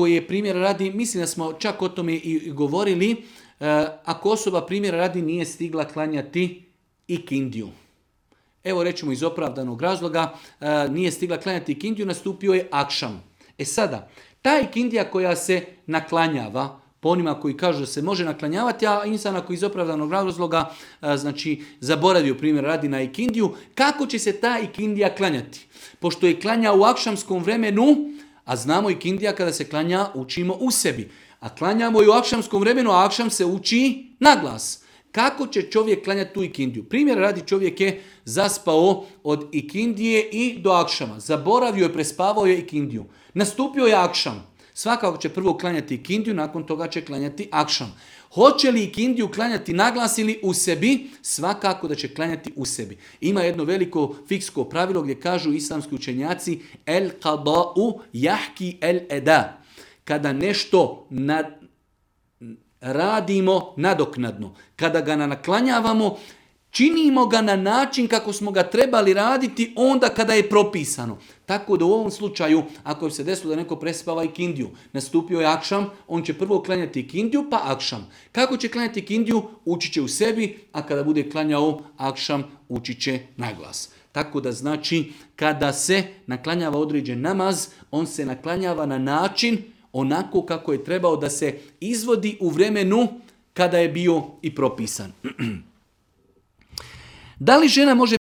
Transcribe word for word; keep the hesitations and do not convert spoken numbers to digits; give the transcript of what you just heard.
koji je primjer radi, mislim da smo čak o tome i govorili, ako osoba primjera radi nije stigla klanjati ikindiju. Evo rećemo iz opravdanog razloga, nije stigla klanjati ikindiju, nastupio je akšam. E sada, ta ikindija koja se naklanjava, po onima koji kažu da se može naklanjavati, a insan ako iz opravdanog razloga znači, zaboravio primjer radi na ikindiju, kako će se ta ikindija klanjati? Pošto je klanja u akšamskom vremenu, a znamo ikindija kada se klanja učimo u sebi. A klanjamo i u akšamskom vremenu, a akšam se uči na glas. Kako će čovjek klanjati tu ikindiju? Primjer radi, čovjek je zaspao od ikindije i do akšama. Zaboravio je, prespavao je ikindiju. Nastupio je akšam. Svakako će prvo klanjati ikindiju, nakon toga će klanjati akšam. Hoće li ikindiju klanjati na glas ili u sebi? Svakako da će klanjati u sebi. Ima jedno veliko fiksko pravilo gdje kažu islamski učenjaci el qada'u jahki el eda. Kada nešto nad, radimo nadoknadno, kada ga naklanjavamo, činimo ga na način kako smo ga trebali raditi onda kada je propisano. Tako da u ovom slučaju, ako se desilo da neko prespava ikindiju, nastupio je akšam, on će prvo klanjati ikindiju pa akšam. Kako će klanjati ikindiju? Učit će u sebi, a kada bude klanjao akšam, učit će na glas. Tako da znači, kada se naklanjava određen namaz, on se naklanjava na način onako kako je trebao da se izvodi u vremenu kada je bio i propisan. Da li žena može